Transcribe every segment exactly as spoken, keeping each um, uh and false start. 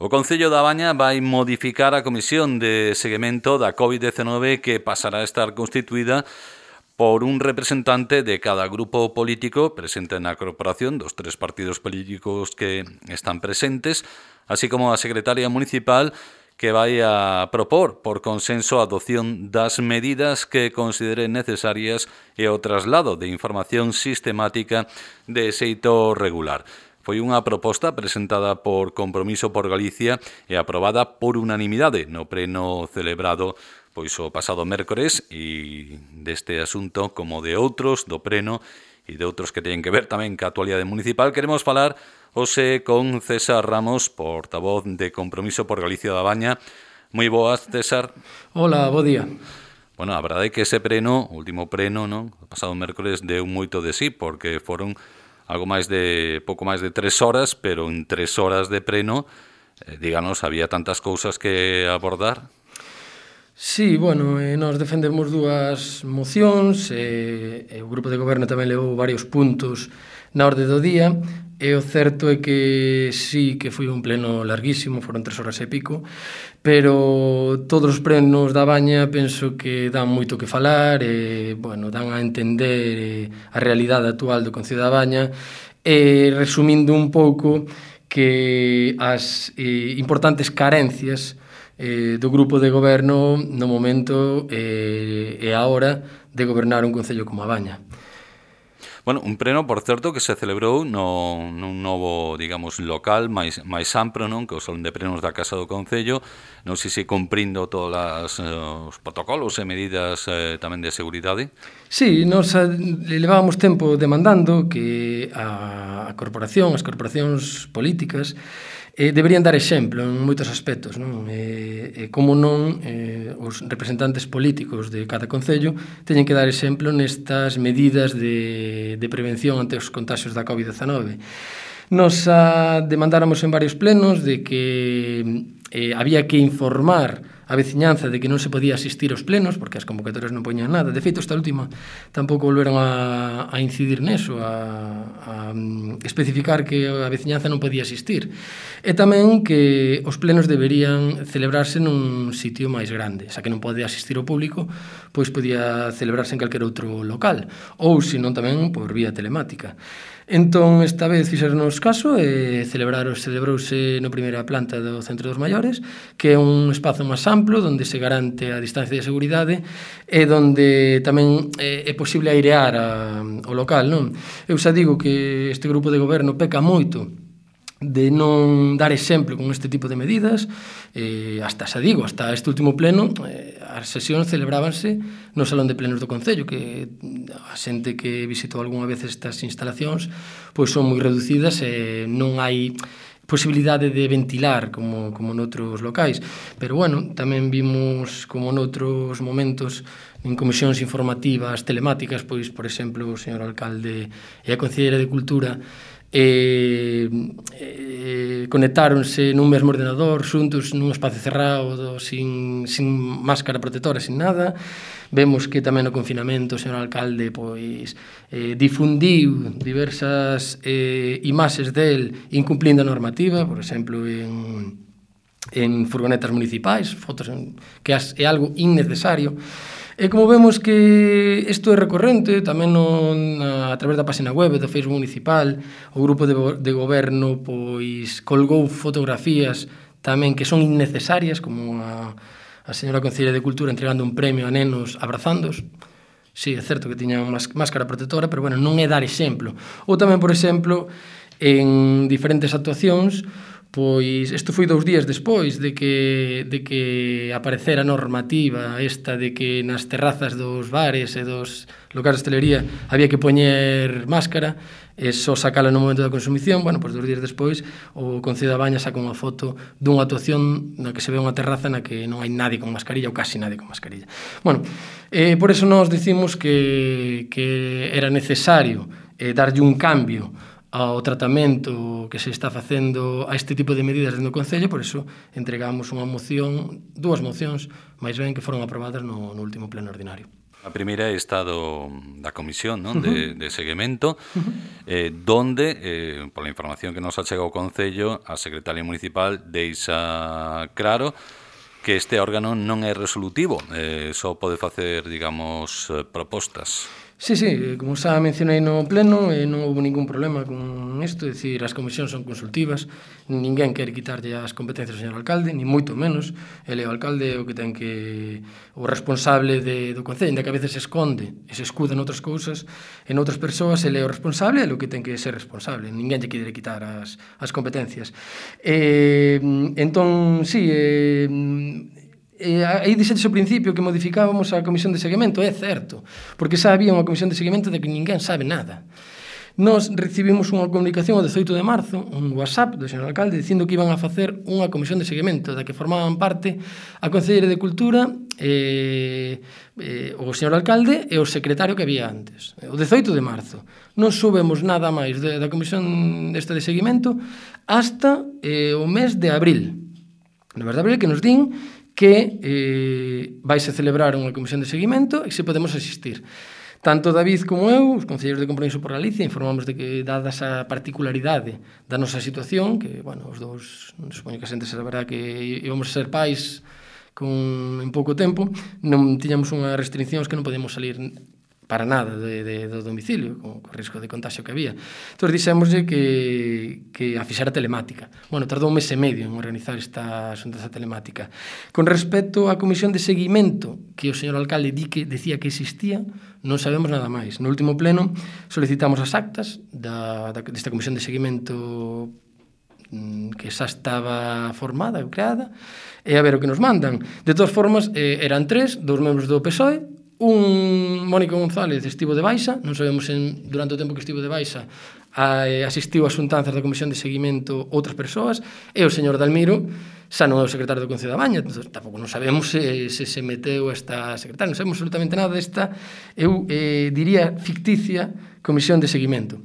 O Concello da Baña vai modificar a Comisión de Seguimento da covid diecinueve que pasará a estar constituída por un representante de cada grupo político presente na corporación, dos tres partidos políticos que están presentes, así como a secretaria municipal que vai a propor por consenso a adopción das medidas que considere necesarias e o traslado de información sistemática de xeito regular. Foi unha proposta presentada por Compromiso por Galicia e aprobada por unanimidade no pleno celebrado pois o pasado mércores, e deste asunto como de outros do pleno e de outros que teñen que ver tamén ca actualidade municipal queremos falar hoxe con César Ramos, portavoz de Compromiso por Galicia da Baña. Moi boas, César. Hola, bo día. Bueno, a verdade é que ese pleno, o último pleno, non? O pasado mércores deu moito de sí, porque foron algo máis de, pouco máis de tres horas, pero en tres horas de pleno, eh, díganos, había tantas cousas que abordar? Sí, bueno, eh, nós defendemos dúas mocións, e, e o grupo de goberno tamén levou varios puntos na orde do día, e o certo é que sí que foi un pleno larguísimo, foron tres horas e pico, pero todos os plenos da Baña penso que dan moito que falar, e, bueno, dan a entender a realidade actual do Concello da Baña, e resumindo un pouco que as eh, importantes carencias eh, do grupo de goberno no momento eh, e a hora de gobernar un concello como a Baña. Bueno, un pleno, por certo, que se celebrou no, nun novo, digamos, local máis, máis amplo, non? Que o Salón de Plenos da Casa do Concello, non sei se cumprindo todos eh, os protocolos e medidas eh, tamén de seguridade. Sí, nos levábamos tempo demandando que a, a corporación, as corporacións políticas, eh, deberían dar exemplo en moitos aspectos, non? E, e como non, eh, os representantes políticos de cada concello teñen que dar exemplo nestas medidas de, de prevención ante os contagios da covid diecinueve. Nos a, demandáramos en varios plenos de que eh, había que informar a veciñanza de que non se podía asistir aos plenos, porque as convocatorias non poñan nada. De feito, esta última tampouco volveron a, a incidir neso, a, a especificar que a veciñanza non podía asistir. E tamén que os plenos deberían celebrarse nun sitio máis grande, xa que non pode asistir o público, pois podía celebrarse en calquer outro local, ou senón tamén por vía telemática. Entón, esta vez fixernos caso e celebraros, celebrouse na primeira planta do Centro dos Maiores, que é un espazo máis amplo, onde se garante a distancia de seguridade e onde tamén é, é posible airear a, o local, non? Eu xa digo que este grupo de goberno peca moito de non dar exemplo con este tipo de medidas, eh, hasta, xa digo, hasta este último pleno, eh, as sesións celebrábanse no Salón de Plenos do Concello, que a xente que visitou algunha vez estas instalacións, pois son moi reducidas e non hai posibilidade de ventilar como, como noutros locais. Pero, bueno, tamén vimos como noutros momentos en comisións informativas telemáticas, pois, por exemplo, o señor alcalde e a concelleira de Cultura E, e conectáronse nun mesmo ordenador xuntos nun espacio cerrado sin, sin máscara protectora, sin nada. Vemos que tamén no confinamento o señor alcalde pois eh, difundiu diversas eh, imaxes del incumplindo a normativa, por exemplo en, en furgonetas municipais, fotos en, que é algo innecesario. E como vemos que isto é recorrente, tamén non, a, a través da página web do Facebook municipal, o grupo de, de goberno pois colgou fotografías tamén que son innecesarias, como a, a señora concelleira de Cultura entregando un premio a nenos abrazándos. Sí, é certo que tiñan máscara protectora, pero bueno, non é dar exemplo. Ou tamén, por exemplo, en diferentes actuacións, pois isto foi dous días despois de que, de que aparecera a normativa esta de que nas terrazas dos bares e dos locais de hostelería había que poñer máscara e só sacala no momento da consumición. Bueno, pois dous días despois o Concello da Baña saca unha foto dunha actuación na que se ve unha terraza na que non hai nadie con mascarilla ou casi nadie con mascarilla. Bueno, eh, por eso nós dicimos que, que era necesario eh, darlle un cambio ao tratamento que se está facendo a este tipo de medidas dentro do Concello, por iso entregamos unha moción, dúas mocións, máis ben que foron aprobadas no, no último pleno ordinario. A primeira é esta do, da comisión, non? De, de seguimento, eh, donde, eh, pola información que nos achega o Concello, a secretaria municipal deixa claro que este órgano non é resolutivo, eh, só pode facer, digamos, eh, propostas. Sí, sí, como xa mencionei no pleno, eh, non houve ningún problema con isto, é dicir, as comisións son consultivas, ninguén quere quitarlle as competencias ao señor alcalde, ni moito menos, ele é o alcalde o que ten que, o responsable de, do Concello, ainda que a veces se esconde e se escuda noutras cousas, en outras persoas, ele é o responsable, é o que ten que ser responsable, ninguén lle quere quitar as, as competencias. Eh, entón, sí, eh, E aí dixetes ao principio que modificábamos a comisión de seguimento, é certo, porque xa había unha comisión de seguimento de que ninguén sabe nada. Nos recibimos unha comunicación o dezoito de marzo, un WhatsApp do señor alcalde, dicindo que iban a facer unha comisión de seguimento da que formaban parte a Concelleira de Cultura, eh, eh, o señor alcalde e o secretario que había antes. O dezoito de marzo. Non subemos nada máis de, da comisión desta de seguimento hasta eh, o mes de abril. No mes de abril que nos din que eh, vaise celebrar unha comisión de seguimento e se podemos asistir. Tanto David como eu, os concelleiros de Compromiso por Galicia, informamos de que, dada esa particularidade da nosa situación, que, bueno, os dous, supoño que a xente saberá que íbamos a ser pais con, en pouco tempo, non tiñamos unhas restriccións que non podíamos salir para nada de, de, do domicilio, con, con risco de contagio que había. Entón, dixémoslle que, que a fixera telemática. Bueno, tardou un mes e medio en organizar esta xuntanza telemática. Con respecto á comisión de seguimento, que o señor alcalde di que decía que existía, non sabemos nada máis. No último pleno solicitamos as actas da, da, desta comisión de seguimento que xa estaba formada, creada, e a ver o que nos mandan. De todas formas, eh, eran tres, dous membros do P S O E, un Mónica González estivo de baixa, non sabemos en, durante o tempo que estivo de baixa a, eh, asistiu ás xuntanzas da Comisión de Seguimento outras persoas, e o señor Dalmiro xa non é o secretario do Concello da Baña, entón, tampouco non sabemos se, se se meteu esta secretaria, non sabemos absolutamente nada desta, eu eh, diría ficticia Comisión de Seguimento.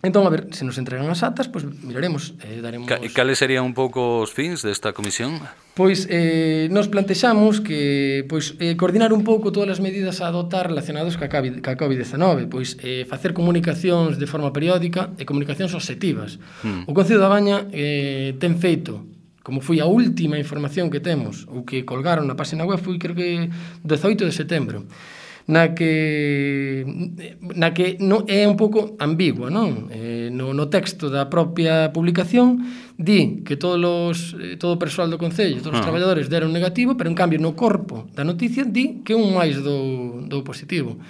Entón, a ver, se nos entregan as actas, pois pues, miraremos, eh, daremos... E cales serían un pouco os fins desta comisión? Pois eh, nos plantexamos que pois, eh, coordinar un pouco todas as medidas a adotar relacionadas ca covid diecinueve, pois eh, facer comunicacións de forma periódica e comunicacións obxectivas. Hmm. O Concello da Baña eh, ten feito, como foi a última información que temos, ou que colgaron na página web, foi creo que dezoito de setembro, na que na que non é un pouco ambigua, non? Eh, no, no texto da propia publicación di que todos os, eh, todo o persoal do Concello, todos os ah. traballadores deron negativo, pero en cambio no corpo da noticia di que un máis do, do positivo.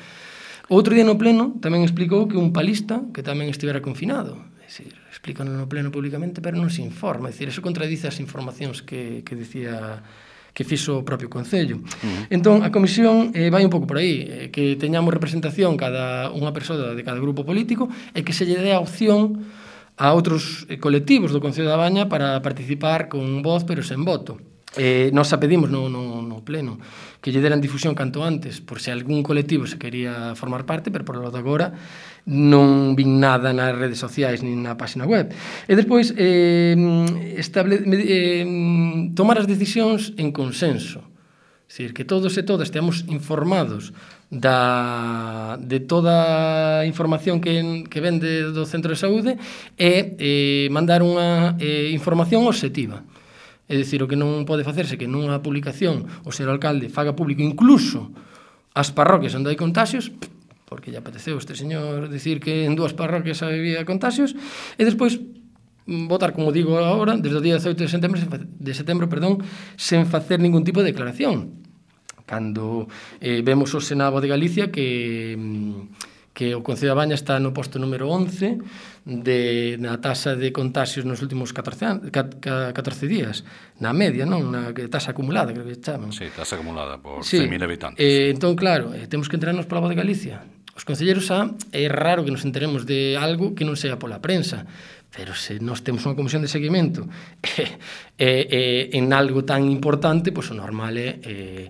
Outro día no pleno tamén explicou que un palista que tamén estivera confinado. É dicir, explícano no pleno públicamente, pero non se informa. É dicir, eso contradice as informacións que, que dicía que fixo o propio Concello. Uh-huh. Entón, a comisión eh, vai un pouco por aí, eh, que teñamos representación cada unha persoa de cada grupo político e que se lle dé a opción a outros eh, colectivos do Concello da Baña para participar con voz pero sen voto. Eh, nos a pedimos no, no, no pleno que lle deran difusión canto antes por se algún colectivo se quería formar parte, pero por lo de agora non vin nada nas redes sociais nin na página web. E despois eh, estable, eh, tomar as decisións en consenso, é dicir, que todos e todas esteamos informados da, de toda a información que, que vende do centro de saúde e eh, mandar unha eh, información obxectiva. É dicir, o que non pode facerse que nunha publicación o señor alcalde faga público incluso as parroquias onde hai contaxios, porque lle apeteceu este señor dicir que en dúas parroquias había contaxios, e despois votar, como digo agora, desde o día dezoito de setembro, de setembro perdón, sen facer ningún tipo de declaración. Cando eh, vemos o Senado de Galicia que, que o Concello da Baña está no posto número once de, na taxa de contaxios nos últimos catorce, catorce días, na media, non? Na taxa acumulada, creo que chaman. Sí, taxa acumulada por sí. cen mil habitantes. Eh, entón, claro, eh, temos que enterarnos pola voz de Galicia. Os concelleiros xa é raro que nos enteremos de algo que non sea pola prensa, pero se nós temos unha comisión de seguimento e, e, e en algo tan importante, pois o normal é eh,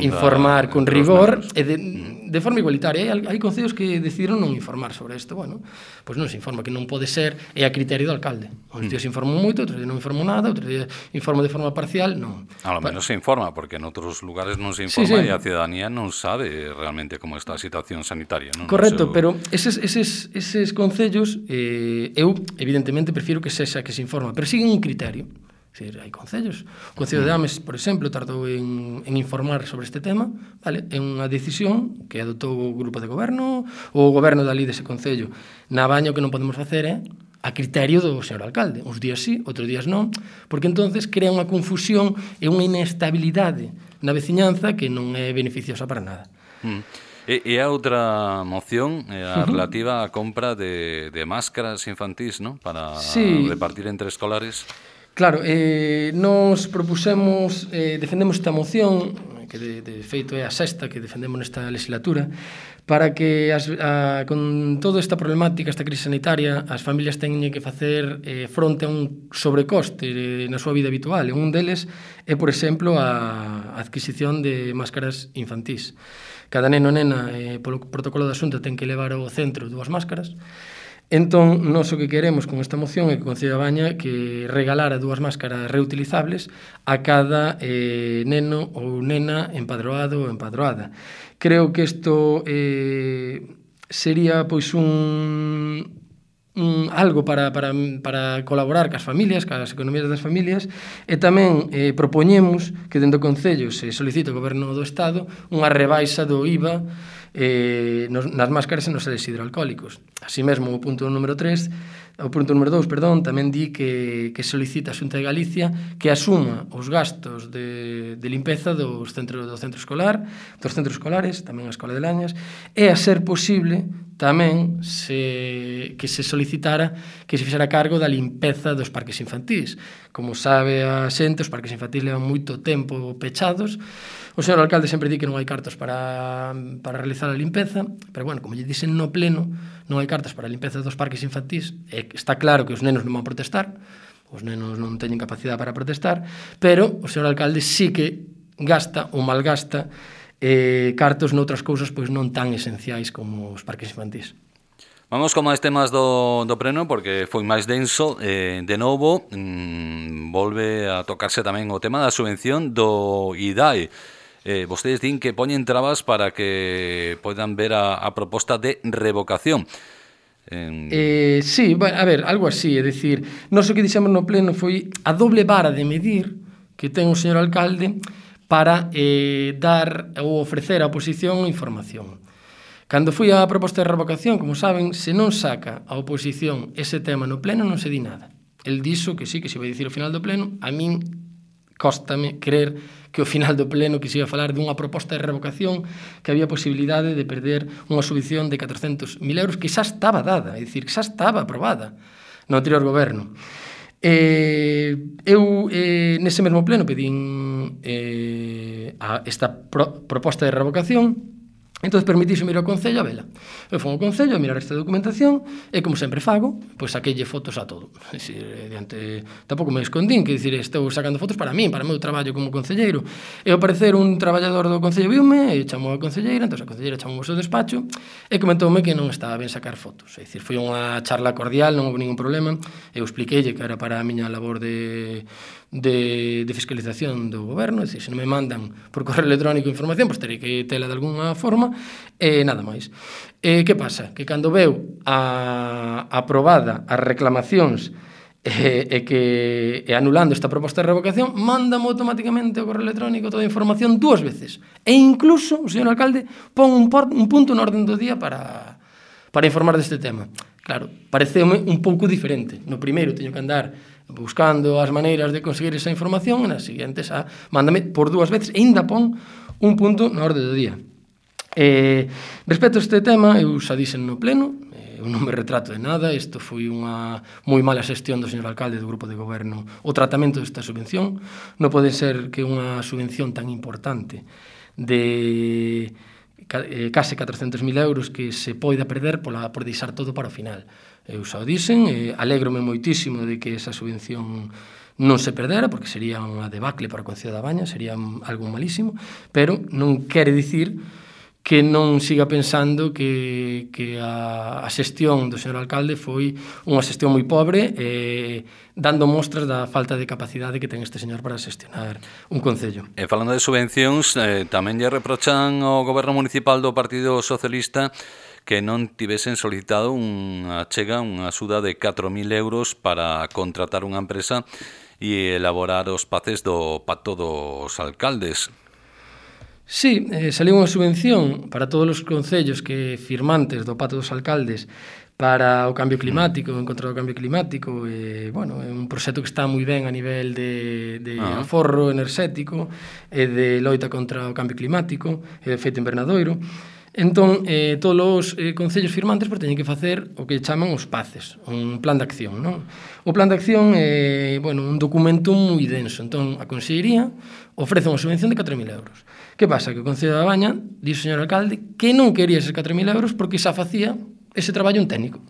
informar con rigor e de, de forma igualitaria. Hai, hai concellos que decidiron non informar sobre isto. Bueno, pois non se informa, que non pode ser, é a criterio do alcalde. Uns días informan moito, outros días non informan nada, outros días informan de forma parcial, non. A lo menos se informa, porque en outros lugares non se informa, sí, sí, e a ciudadanía non sabe realmente como está a situación sanitaria, non? Correcto, no seu... pero eses, eses, eses concellos, eh, eu, evidentemente, evidentemente prefiro que sexa que se informa, pero siguen un criterio. Se hai concellos. O Concello de Ames, por exemplo, tardou en, en informar sobre este tema, vale? É unha decisión que adotou o grupo de goberno ou o goberno dali dese concello. Na Baña o que non podemos facer é a criterio do señor alcalde. Uns días sí, outros días non, porque entonces crea unha confusión e unha inestabilidade na veciñanza que non é beneficiosa para nada. Mm. E, e a outra moción é a relativa á compra de, de máscaras infantís, ¿no? Para sí. repartir entre escolares. Claro, eh, nos propusemos, eh, defendemos esta moción, que de, de feito é a sexta que defendemos nesta legislatura, para que as, a, con toda esta problemática, esta crise sanitaria, as familias teñen que facer eh, fronte a un sobrecoste eh, na súa vida habitual. E un deles é, por exemplo, a adquisición de máscaras infantís. Cada neno e nena, eh, polo protocolo da Xunta, ten que levar ao centro dúas máscaras. Entón, nós o que queremos con esta moción é que o Concello da Baña que regalara dúas máscaras reutilizables a cada eh, neno ou nena empadroado ou empadroada. Creo que isto eh, sería pois un... Un, algo para, para, para colaborar cas familias, cas economías das familias, e tamén eh, propoñemos que dentro do Concello se solicite ao Goberno do Estado unha rebaixa do I V A eh, nos, nas máscaras e nos seres hidroalcohólicos. Así mesmo, o punto número tres, o punto número dous, perdón, tamén di que, que solicita a Xunta de Galicia que asuma os gastos de, de limpeza dos centro, do centro escolar, dos centros escolares, tamén a Escola de Lañas, e a ser posible tamén se, que se solicitara que se fixera cargo da limpeza dos parques infantís. Como sabe a xente, os parques infantís levan moito tempo pechados. O señor alcalde sempre di que non hai cartos para, para realizar a limpeza, pero, bueno, como lle dixen no pleno, non hai cartos para a limpeza dos parques infantís, e está claro que os nenos non van protestar, os nenos non teñen capacidade para protestar, pero o señor alcalde sí que gasta ou malgasta eh, cartos noutras cousas pois non tan esenciais como os parques infantís. Vamos con máis temas do, do pleno, porque foi máis denso. Eh, de novo, mmm, volve a tocarse tamén o tema da subvención do I D A E. Eh, vostedes din que poñen trabas para que poidan ver a, a proposta de revocación. Eh... Eh, sí, bueno, a ver, algo así, é dicir, nós o que dixemos no pleno foi a doble vara de medir que ten o señor alcalde para eh, dar ou ofrecer á oposición información. Cando foi a proposta de revocación, como saben, se non saca a oposición ese tema no pleno, non se di nada. El dixo que sí, que se vai dicir ao final do pleno. A min cóstame creer que ao final do pleno que se iba a falar dunha proposta de revocación que había posibilidade de perder unha subvención de catrocentos mil euros que xa estaba dada, é dicir, que xa estaba aprobada no anterior goberno. Eh, eu, eh, nese mesmo pleno, pedín eh, a esta pro, proposta de revocación. Entón, permitíseme ir ao Concello a vela. Eu fui ao Concello a mirar esta documentación e, como sempre fago, pois saqueille fotos a todo. É dicir, diante, tampouco me escondín, que dicir, estou sacando fotos para min, para o meu traballo como concelleiro. E ao parecer un traballador do Concello viume e chamou a concelleira, entón a concelleira chamou ao seu despacho e comentoume que non estaba ben sacar fotos. É dicir, foi unha charla cordial, non houve ningún problema. Eu expliqueille que era para a miña labor de... De, de fiscalización do goberno, é dicir, se non me mandan por correo electrónico información, pois terei que tela de alguna forma, e nada máis. E que pasa? Que cando veu a aprobada as reclamacións e, e que e anulando esta proposta de revocación, mándame automáticamente o correo electrónico toda a información dúas veces. E incluso o señor alcalde pon un, por, un punto no orden do día para, para informar deste tema. Claro, pareceume un pouco diferente. No primeiro teño que andar buscando as maneiras de conseguir esa información, e nas seguintes a, mándame por dúas veces e ainda pon un punto na orde do día. Eh, respecto a este tema, eu xa dixen no pleno, eh, eu non me retrato de nada, isto foi unha moi mala xestión do señor alcalde do grupo de goberno, o tratamento desta subvención. Non pode ser que unha subvención tan importante de eh, case catrocentos mil euros que se poida perder pola, por deixar todo para o final. Eu xa o dixen, eh, alégrome moitísimo de que esa subvención non se perdera, porque sería unha debacle para o Concello da Baña, sería algo malísimo, pero non quere dicir que non siga pensando que, que a, a xestión do señor alcalde foi unha xestión moi pobre, eh, dando mostras da falta de capacidade que ten este señor para xestionar un concello. E falando de subvencións, eh, tamén lle reprochan ao goberno municipal do Partido Socialista que non tivesen solicitado unha chega, unha axuda de catro mil euros para contratar unha empresa e elaborar os paces do Pacto dos Alcaldes. Sí, eh, saliu unha subvención para todos os concellos que firmantes do Pacto dos Alcaldes para o cambio climático, en contra do cambio climático, e, bueno, é un proxecto que está moi ben a nivel de, de ah. aforro enerxético e de loita contra o cambio climático e de efecto invernadoiro. Entón, eh, todos os eh, concellos firmantes pues, teñen que facer o que chaman os paces, un plan de acción, non? O plan de acción é, bueno, un documento moi denso. Entón, a Consellería ofrece unha subvención de catro mil euros. Que pasa? Que o Concello da Baña dixe o señor alcalde que non quería eses catro mil euros porque xa facía ese traballo un técnico.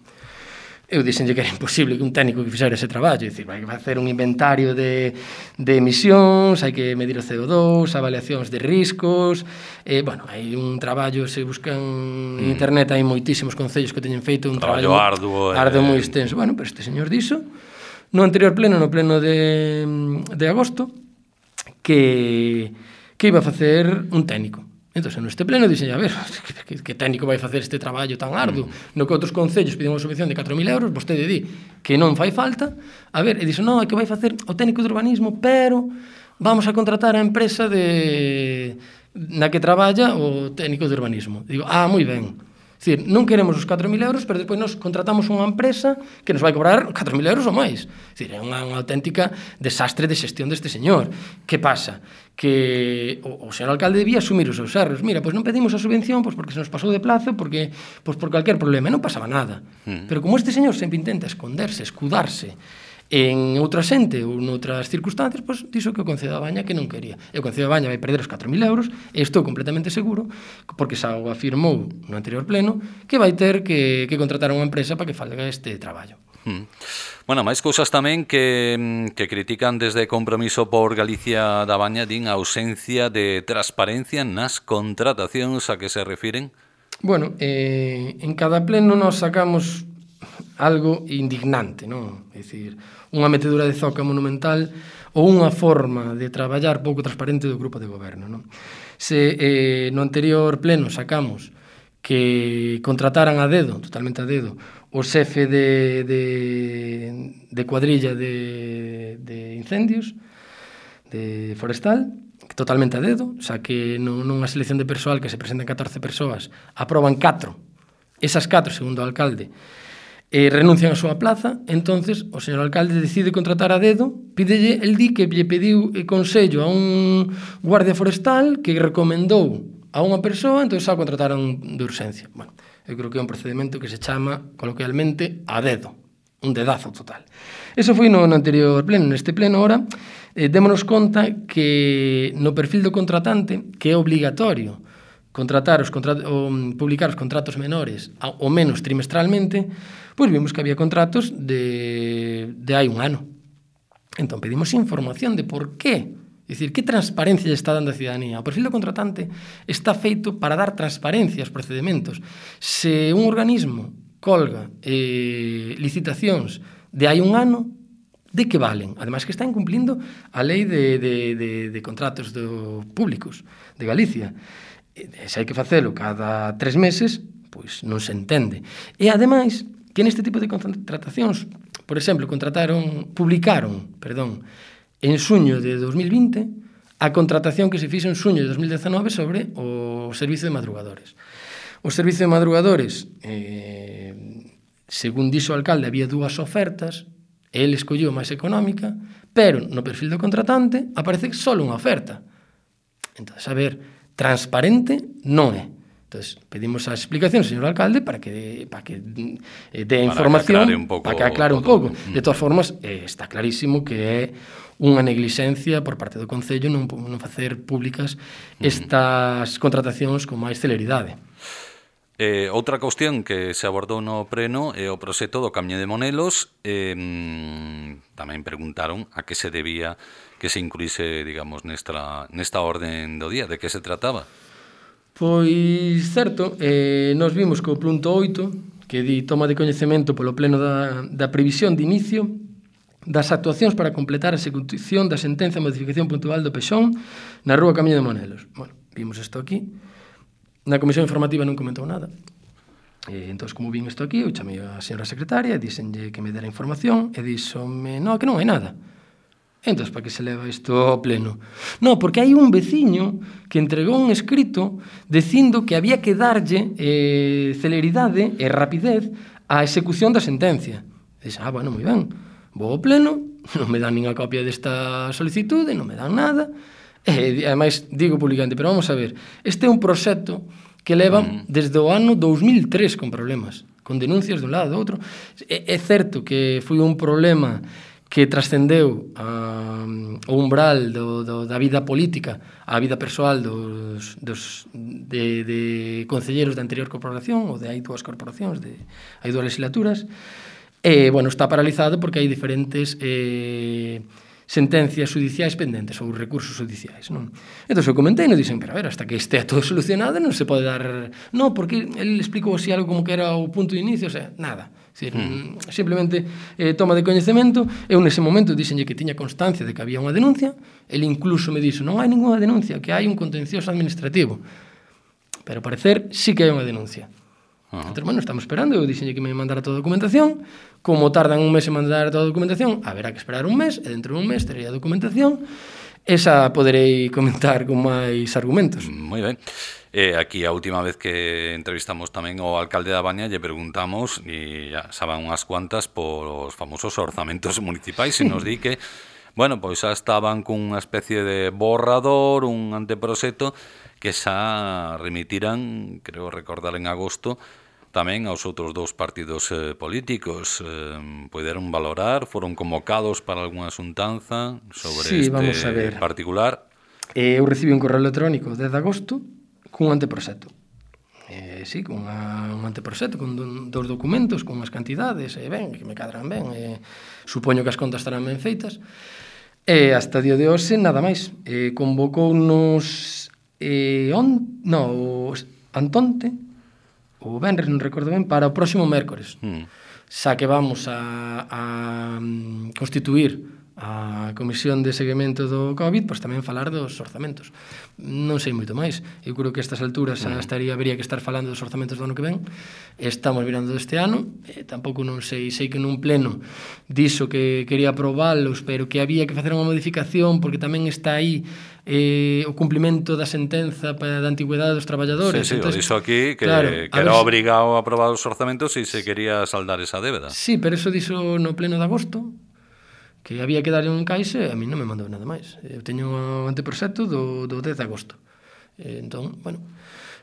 Eu dixenlle que era imposible que un técnico que fixera ese traballo, dicir, vai facer un inventario de, de emisións, hai que medir o C O dos, avaliacións de riscos, eh, bueno, hai un traballo, se buscan en mm. internet, hai moitísimos concellos que teñen feito un traballo, traballo arduo, arduo eh... moi extenso. Bueno, pero este señor dixo, no anterior pleno, no pleno de, de agosto, que, que iba a facer un técnico. Entón, neste pleno dixen, a ver, que, que técnico vai facer este traballo tan arduo, mm. no que outros concellos piden unha subvención de catro mil euros, vostede di que non fai falta, a ver, e dixen, non, é que vai facer o técnico de urbanismo, pero vamos a contratar a empresa de na que traballa o técnico de urbanismo. Digo, ah, moi ben. É dicir, non queremos os catro mil euros, pero depois nos contratamos unha empresa que nos vai cobrar catro mil euros ou máis. É dicir, é unha, unha auténtica desastre de xestión deste señor. Que pasa? Que o, o señor alcalde debía asumir os seus erros. Mira, pois non pedimos a subvención pois porque se nos pasou de plazo, porque pois por calquer problema, non pasaba nada. Mm. Pero como este señor sempre intenta esconderse, escudarse en outra xente ou noutras circunstancias, pois dixo que o Concello da Baña que non quería. E o Concello da Baña vai perder os catro mil euros, e estou completamente seguro, porque xa o afirmou no anterior pleno, que vai ter que, que contratar unha empresa para que faga este traballo. Hmm. Bueno, máis cousas tamén que, que critican desde Compromiso por Galicia da Baña, din a ausencia de transparencia nas contratacións a que se refiren. Bueno, eh, en cada pleno nos sacamos algo indignante, non? É dicir, unha metedura de zoca monumental ou unha forma de traballar pouco transparente do grupo de goberno, non? Se eh, no anterior pleno sacamos que contrataran a dedo, totalmente a dedo, o xefe de, de, de cuadrilla de, de incendios, de forestal, totalmente a dedo, xa que nunha selección de persoal que se presentan catorce persoas, aproban catro, esas catro, segundo o alcalde, eh, renuncian a súa plaza, entonces o señor alcalde decide contratar a dedo, pídelle, el di que lle pediu consello a un guardia forestal que recomendou a unha persoa, entón xa contrataron de urxencia. Bueno, eu creo que é un procedimento que se chama coloquialmente a dedo, un dedazo total. Eso foi no, no anterior pleno. Neste pleno, ora, eh, démonos conta que no perfil do contratante, que é obligatorio contratar os contratos, o, publicar os contratos menores ao menos trimestralmente, pois vimos que había contratos de, de hai un ano. Entón pedimos información de por qué. É dicir, que transparencia lle está dando a cidadanía? O perfil do contratante está feito para dar transparencia aos procedimentos. Se un organismo colga eh, licitacións de hai un ano, de que valen? Ademais que está incumplindo a lei de, de, de, de contratos do públicos de Galicia. E se hai que facelo cada tres meses, pois non se entende. E ademais, que neste tipo de contratacións, por exemplo, contrataron, publicaron, perdón, en xuño de dos mil vinte, a contratación que se fixo en xuño de dos mil dezenove sobre o servizo de madrugadores. O servizo de madrugadores, eh, según dixo o alcalde, había dúas ofertas, el escolleu máis económica, pero no perfil do contratante aparece só unha oferta. Entón, a ver, transparente non é. Entonces, pedimos a explicación, señor alcalde, para que para que eh, dé información, para que aclare un pouco, para que aclare un pouco. De todas formas, eh, está clarísimo que é unha neglixencia por parte do Concello non, non facer públicas estas contratacións con máis celeridade. Eh, outra cuestión que se abordou no pleno é o proxecto do Camiño de Monelos. Eh, tamén preguntaron a que se debía que se incluíse, digamos, nesta, nesta orden do día, de que se trataba. Pois, certo, eh, nos vimos co punto oito, que di toma de coñecemento polo pleno da, da previsión de inicio das actuacións para completar a execución da sentenza de modificación puntual do Pexón na rúa Camiño de Monelos. Bueno, vimos isto aquí. Na comisión informativa non comentou nada. E, entón, como vin isto aquí, eu chamei a señora secretaria, díxenlle que me dera información, e díxome, no, que non hai nada. Entón, para que se leva isto ao pleno? No, porque hai un veciño que entregou un escrito dicindo que había que darlle eh, celeridade e rapidez á execución da sentencia. E dixe, ah, bueno, moi ben, vou ao pleno, non me dan nin a copia desta solicitude, non me dan nada. E, ademais, digo publicamente, pero vamos a ver, este é un proxecto que leva mm. desde o ano dous mil tres con problemas, con denuncias dun lado do outro. É, é certo que foi un problema que trascendeu a, o umbral do, do, da vida política á vida persoal dos, dos, de, de concelleros da anterior corporación ou de hai dúas corporacións, de hai dúas legislaturas. E, bueno, está paralizado porque hai diferentes eh, sentencias judiciais pendentes ou recursos judiciais, non? Entón, eu comentei e non dixen, pero a ver, hasta que estea todo solucionado non se pode dar... Non, porque ele explicou así algo como que era o punto de inicio, o sea, nada. Decir, mm. simplemente eh, toma de coñecemento. Eu nese momento dixenlle que tiña constancia de que había unha denuncia. Ele incluso me dixo, non hai ninguna denuncia, que hai un contencioso administrativo. Pero ao parecer sí que hai unha denuncia. Uh-huh. Entón, bueno, estamos esperando. Eu dixenlle que me mandara toda a documentación. Como tardan un mes en mandar toda a documentación, haberá que esperar un mes, e dentro dun mes tería a documentación. Esa poderei comentar con máis argumentos. Moi ben. Eh, aquí a última vez que entrevistamos tamén ao alcalde da Baña lle preguntamos, e ya saben unhas cuantas, por os famosos orzamentos municipais, e nos di que, bueno, pois xa estaban cunha especie de borrador, un anteproxecto, que xa remitiran, creo recordar en agosto, tamén aos outros dous partidos eh, políticos. Eh, poderon valorar, foron convocados para algunha xuntanza sobre sí, este particular. Eh, eu recibi un correo electrónico dez de agosto cun anteproxecto. Eh, sí, con unha, un anteproxecto, con dos documentos, con unhas cantidades, e eh, ben, que me cadran ben, eh, supoño que as contas estarán ben feitas. E hasta o día de hoxe, nada máis. Eh, convocounos eh, on, no, Antonte, o venres, non recordo ben, para o próximo mércores. Mm. Xa que vamos a, a constituir a Comisión de Seguimento do COVID, pois tamén falar dos orzamentos. Non sei moito máis. Eu creo que a estas alturas xa estaría, habería que estar falando dos orzamentos do ano que ven. Estamos mirando deste ano. E tampouco non sei, sei que nun pleno dixo que quería aprobalos, pero que había que facer unha modificación porque tamén está aí eh, o cumplimento da sentenza para da antigüedade dos traballadores. Sí, sí, entonces, o dixo aquí que, claro, que era obrigado a aprobar os orzamentos se se quería saldar esa débeda. Sí, pero eso dixo no pleno de agosto, que había que darlle un encaixe, a mí non me mandou nada máis. Eu teño un anteproxecto do, do dez de agosto. E, entón, bueno,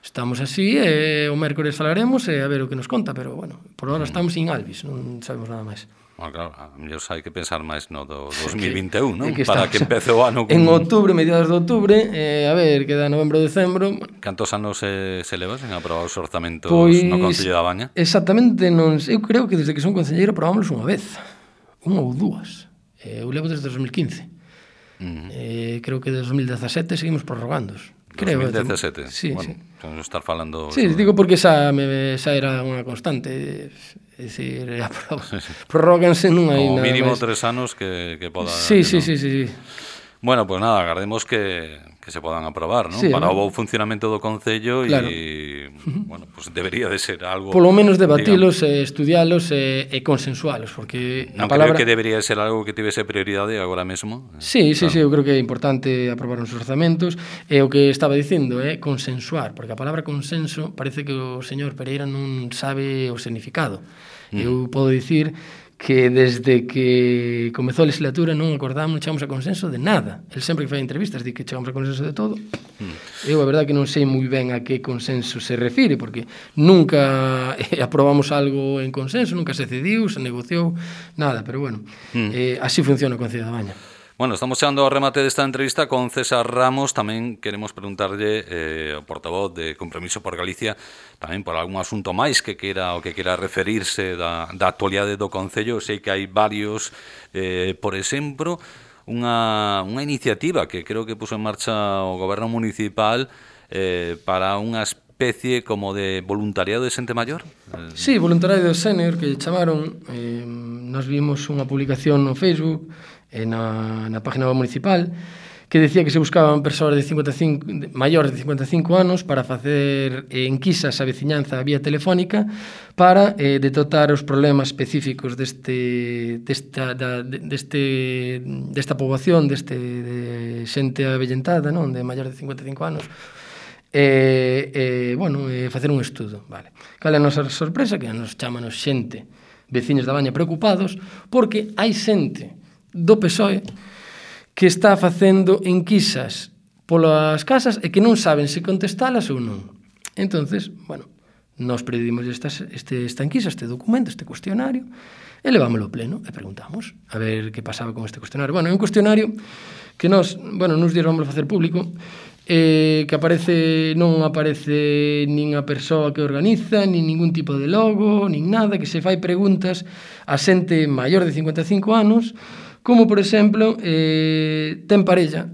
estamos así, e o mércores falaremos e a ver o que nos conta, pero, bueno, por ahora estamos in albis, non sabemos nada máis. Bueno, claro, a mellor hai que pensar máis no do dos mil vinte e un, non? Que para que empece o ano con... En outubro, mediados de outubro, eh, a ver, queda novembro, decembro... Cantos anos se, se leva sen aprobar os orzamentos pois, no Concello da Baña? Exactamente, non, eu creo que desde que son concelleiro aprobámoslos unha vez, unha ou dúas. Eu levo desde dos mil quince. Uh-huh. eh, creo que desde dos mil dezasete seguimos prorrogándos. Creo, dos mil dezasete? Sí, bueno, sí. Vamos a estar falando... Sí, sobre... digo porque xa, me, xa era unha constante. É dicir, prorróganse non hai nada. O mínimo máis. tres anos que, que poda... Sí, que sí, no. sí, sí, sí. Bueno, pues nada, agardemos que, que se podan aprobar, ¿no? Sí, para ¿no? o bo funcionamento do Concello claro. E, bueno, pues debería de ser algo... Polo menos debatilos, e estudialos e, e consensualos, porque non a palabra... creo que debería ser algo que tivese prioridade agora mesmo. Sí, sí, claro. sí, eu creo que é importante aprobar os orzamentos, e o que estaba dicindo é consensuar, porque a palabra consenso parece que o señor Pereira non sabe o significado. Mm. Eu podo dicir que desde que comezou a legislatura non acordamos, non chegamos a consenso de nada. El sempre que fai entrevistas di que chegamos a consenso de todo. Mm. Eu, a verdade, que non sei moi ben a que consenso se refire, porque nunca eh, aprobamos algo en consenso, nunca se cediu, se negociou, nada, pero bueno, mm. eh, así funciona o Concello da Baña. Bueno, estamos chegando ao remate desta entrevista con César Ramos. Tamén queremos preguntarlle eh, ao portavoz de Compromiso por Galicia tamén por algún asunto máis que quera o que quera referirse da, da actualidade do Concello. Sei que hai varios, eh, por exemplo, unha, unha iniciativa que creo que puso en marcha o Goberno Municipal eh, para unha especie como de voluntariado de xente maior. Sí, voluntariado senior que chamaron. Eh, nos vimos unha publicación no Facebook na, na página municipal que decía que se buscaban persoas de cincuenta e cinco, de, maiores de cincuenta e cinco anos para facer eh, enquisas a veciñanza vía telefónica para eh, detectar os problemas específicos deste, desta, da, deste, desta poboación, deste de xente avellentada, non? De maiores de cincuenta e cinco anos. E, eh, bueno, eh, facer un estudo, vale. Cal é a nosa sorpresa? Que nos chamanos xente, veciños da Baña preocupados, porque hai xente do P S O E que está facendo enquisas polas casas e que non saben se contestalas ou non. Entonces, bueno, nos pedimos esta, este, esta enquisa, este documento, este cuestionario, e levámoslo ao pleno e preguntamos a ver que pasaba con este cuestionario. Bueno, é un cuestionario que nos, bueno, nos días vamos a facer público, eh, que aparece, non aparece nin a persoa que organiza, nin ningún tipo de logo, nin nada, que se fai preguntas a xente maior de cincuenta e cinco anos, como, por exemplo, eh, ten parella,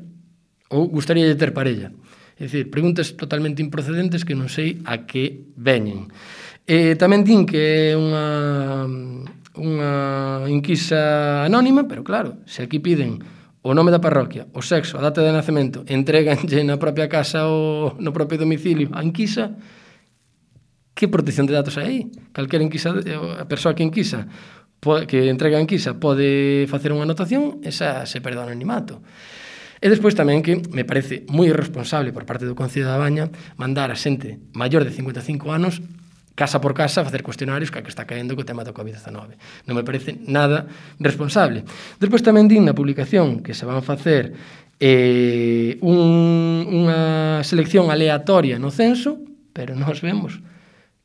ou gustaría de ter parella. É dicir, preguntas totalmente improcedentes que non sei a que veñen. Eh, tamén din que é unha, unha enquisa anónima, pero claro, se aquí piden o nome da parroquia, o sexo, a data de nacemento, entreganlle na propia casa ou no propio domicilio a enquisa, que protección de datos hai aí? Calquera enquisa, a persoa que enquisa, que entrega a enquisa, pode facer unha anotación, esa se perde o anonimato. E despois tamén que me parece moi irresponsable por parte do Concello da Baña mandar a xente maior de cincuenta e cinco anos casa por casa a facer cuestionarios que a que está caendo co tema do covid diecinueve. Non me parece nada responsable. Despois tamén din na publicación que se van facer eh, un, unha selección aleatoria no censo, pero nós vemos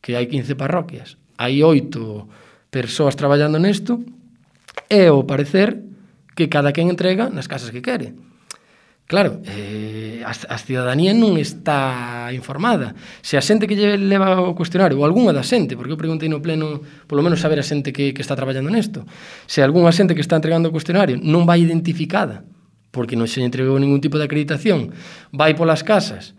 que hai quince parroquias, hai oito persoas traballando nesto, e ao parecer que cada quen entrega nas casas que quere. Claro, eh, a, a cidadanía non está informada. Se a xente que lle leva o cuestionario, ou algunha da xente, porque eu preguntei no pleno, polo menos saber a xente que, que está traballando nesto, se algunha xente que está entregando o cuestionario non vai identificada, porque non se entregou ningún tipo de acreditación, vai polas casas,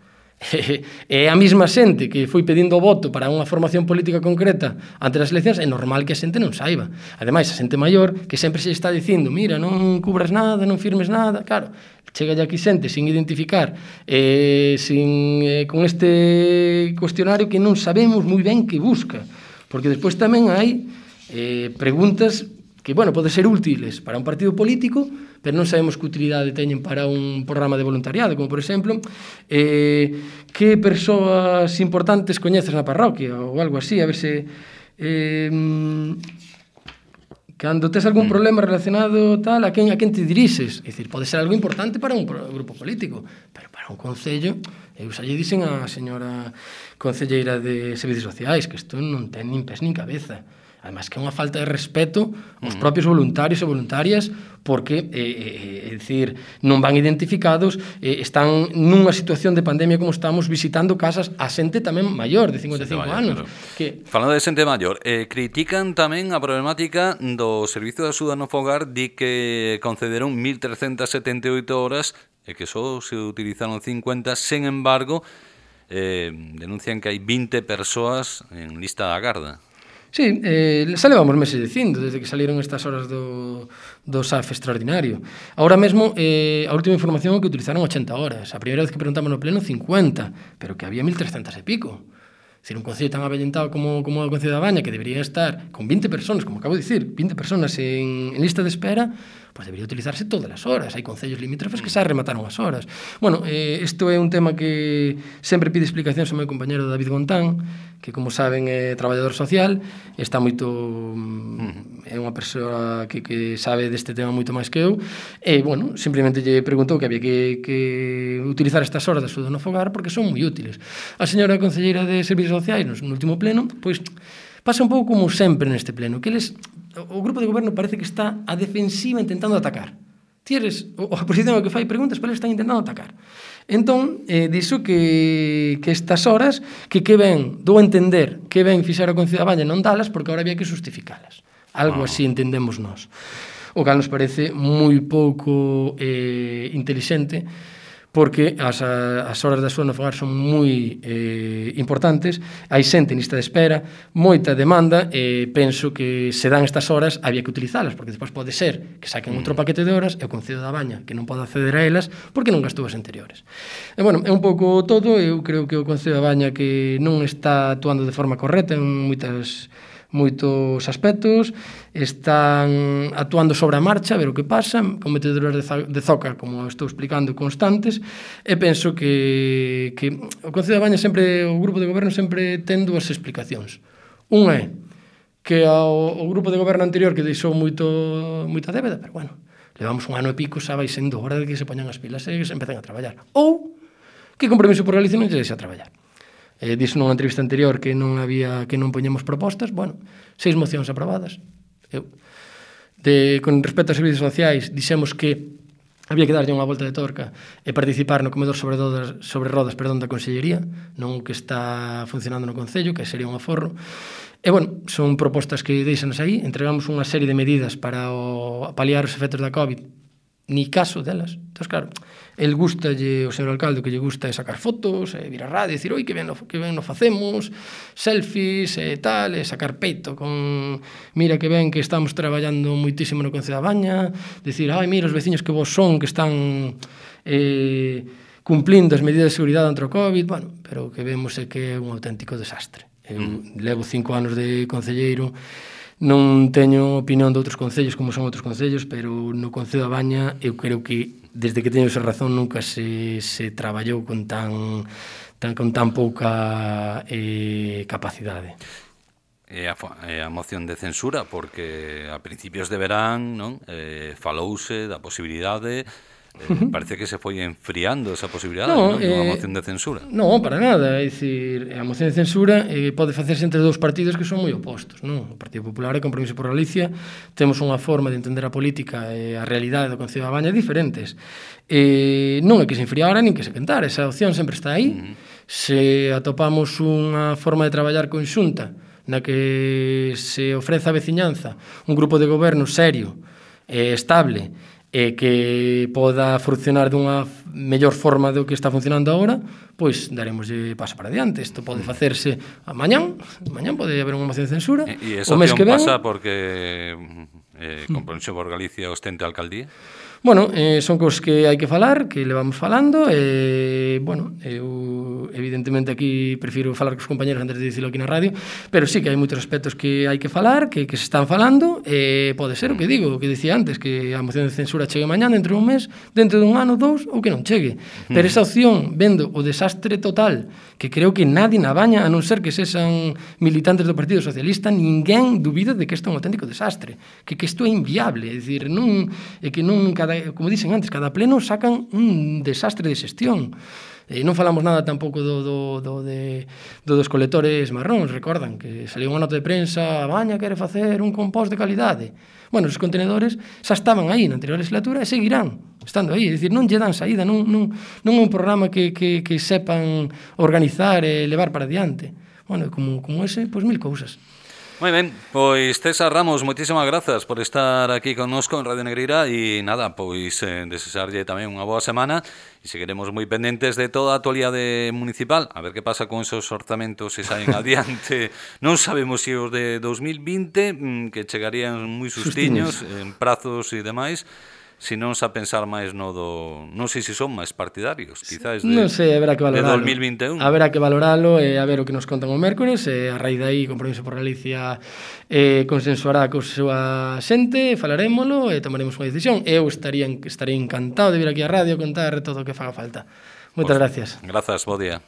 é a mesma xente que foi pedindo o voto para unha formación política concreta ante as eleccións, é normal que a xente non saiba. Ademais, a xente maior que sempre se está dicindo, mira, non cubras nada, non firmes nada, claro, chega aquí xente sin identificar, eh, sin, eh, con este cuestionario que non sabemos moi ben que busca, porque despois tamén hai eh, preguntas que, bueno, pode ser útiles para un partido político, pero non sabemos que utilidade teñen para un programa de voluntariado, como, por exemplo, eh, que persoas importantes coñeces na parroquia, ou algo así, a ver se... Eh, cando tes algún problema relacionado tal, a quen, a quen te dirixes? É dicir, pode ser algo importante para un grupo político, pero para un concello, eu xa lle dixen a señora concelleira de Servicios Sociais que isto non ten nin pés nin cabeza. Además, que é unha falta de respeto aos propios voluntarios e voluntarias, porque, eh, é dicir, non van identificados, eh, están nunha situación de pandemia como estamos, visitando casas a xente tamén maior, de cincuenta e cinco anos. Que... Falando de xente maior, eh, critican tamén a problemática do Servicio de Axuda no Fogar, di que concederon mil trescentas setenta e oito horas e que só se utilizaron cincuenta, sen embargo, eh, denuncian que hai vinte persoas en lista da garda. Sí, eh, xa levamos meses dicindo, desde que salieron estas horas do, do S A F extraordinario. Ahora mesmo, eh, a última información é que utilizaron ochenta horas. A primeira vez que preguntamos no pleno, cincuenta, pero que había mil trescentas e pico. É dicir, un concello tan avellentado como, como o Concello da Baña, que debería estar con vinte personas, como acabo de dicir, vinte personas en, en lista de espera, pois debería utilizarse todas as horas. Hai concellos limítrofes que xa remataron as horas. Bueno, eh, isto é un tema que sempre pide explicacións ao meu compañero David Gontán, que, como saben, é traballador social, está moito... é unha persoa que, que sabe deste tema moito máis que eu, e, bueno, simplemente lle preguntou que había que, que utilizar estas horas de axuda no fogar porque son moi útiles. A señora concelleira de Servicios Sociais, no último pleno, pois, pasa un pouco como sempre neste pleno, que eles... o grupo de goberno parece que está a defensiva intentando atacar. Tienes, o a oposición que fai preguntas, pero eles están intentando atacar. Entón, eh, dixo que, que estas horas, que que ven, dou a entender, que ven fixar a Concello da Baña non dalas, porque agora había que justificalas. Algo así entendemos nós. O cal nos parece moi pouco eh, intelixente, porque as, as horas da súa no fogar son moi eh, importantes, hai xente en lista de espera, moita demanda, e penso que se dan estas horas había que utilizalas, porque despois pode ser que saquen outro paquete de horas e o Concello da Baña que non pode acceder a elas porque non gastou as anteriores. E, bueno, é un pouco todo. Eu creo que o Concello da Baña que non está actuando de forma correcta en moitas moitos aspectos, están actuando sobre a marcha, a ver o que pasa, con meteduras de zoca, como estou explicando, constantes, e penso que, que o Concello da Baña sempre, o grupo de goberno sempre ten dúas explicacións. Unha é que ao, o grupo de goberno anterior que deixou moito, moita débeda, pero bueno, levamos un ano e pico, xa vai sendo hora de que se poñan as pilas e que se empecen a traballar. Ou que Compromiso por Galicia non lle deixa traballar. Eh, dixo nunha entrevista anterior que non había que non poñemos propostas. Bueno, seis mocións aprobadas. Eu, de, con respecto aos servicios sociais, dixemos que había que darlle unha volta de torca e participar no comedor sobre rodas, sobre rodas perdón, da Consellería, non o que está funcionando no Concello, que sería un aforro. E, bueno, son propostas que deixanos aí. Entregamos unha serie de medidas para o, paliar os efectos da COVID, ni caso delas. Entón, claro, el gustalle, o señor alcalde, o que lle gusta é sacar fotos, e vir a radio e dicir, oi, que ben, que ben nos facemos, selfies e tal, e sacar peito con, mira que ben que estamos traballando moitísimo no Concello da Baña, dicir, ai, mira, os veciños que vos son, que están eh, cumplindo as medidas de seguridade contra o COVID, bueno, pero o que vemos é que é un auténtico desastre. Eu mm. levo cinco anos de concelleiro, non teño opinión de outros concellos como son outros concellos, pero no Concello da Baña eu creo que desde que teño esa razón nunca se, se traballou con tan, tan, con tan pouca eh, capacidade. E a, a moción de censura, porque a principios de verán non eh, falouse da posibilidade. Eh, parece que se foi enfriando esa posibilidade, no, non? Eh, Unha moción de censura. Non, para nada, é dicir, a moción de censura eh, pode facerse entre dous partidos que son moi opostos, non? O Partido Popular e Compromiso por Galicia temos unha forma de entender a política e a realidade do Concello da Baña diferentes. Eh, non é que se enfriara nin que se quentara, esa opción sempre está aí. Uh-huh. Se atopamos unha forma de traballar conxunta na que se ofrece a veciñanza un grupo de goberno serio e estable e que poda funcionar dunha mellor forma do que está funcionando agora, pois daremoslle paso para diante. Isto pode facerse a mañán, mañán pode haber unha moción de censura. E, e esa opción pasa porque eh, Compromiso por Galicia ostente a alcaldía? Bueno, eh, son cousas que hai que falar, que levamos falando, e, bueno, eu evidentemente aquí prefiro falar cos compañeros antes de dicilo aquí na radio, pero sí que hai moitos aspectos que hai que falar, que, que se están falando, e pode ser o que digo, o que dicía antes, que a moción de censura chegue mañán, dentro dun mes, dentro dun ano, dous, ou que non chegue. Pero esa opción, vendo o desastre total, que creo que nadie na Baña, a non ser que sexan militantes do Partido Socialista, ninguén dubida de que isto é un auténtico desastre, que, que isto é inviable, é dicir, non, é que non cada como dicen antes, cada pleno sacan un desastre de xestión. E non falamos nada tampouco do, do, do, de, do dos colectores marróns, recordan que saliu unha nota de prensa, a Baña quere facer un compost de calidade. Bueno, os contenedores xa estaban aí na anterior legislatura e seguirán estando aí, é dicir, non lle dan saída, non, non, non é un programa que, que, que sepan organizar e levar para diante. Bueno, como, como ese, pois mil cousas. Moi ben, pois César Ramos, moitísimas grazas por estar aquí connosco en Radio Negreira e nada, pois eh, desexarlle tamén unha boa semana e seguiremos moi pendentes de toda a actualidade municipal, a ver que pasa con esos orzamentos se saen adiante. Non sabemos se os de dos mil vinte, que chegarían moi sustiños, en prazos e demais, si non a pensar máis no do... Non sei se son máis partidarios, quizás, de, non sei, haberá que valoralo. de dos mil vinte e un. Haberá que valoralo e a ver o que nos contan o mércores, e a raíz de aí, Compromiso por Galicia eh, consensuará co súa xente, falarémolo e tomaremos unha decisión. Eu estaría, estaría encantado de vir aquí á radio a contar todo o que faga falta. Moitas Pues, gracias. Grazas, bo día.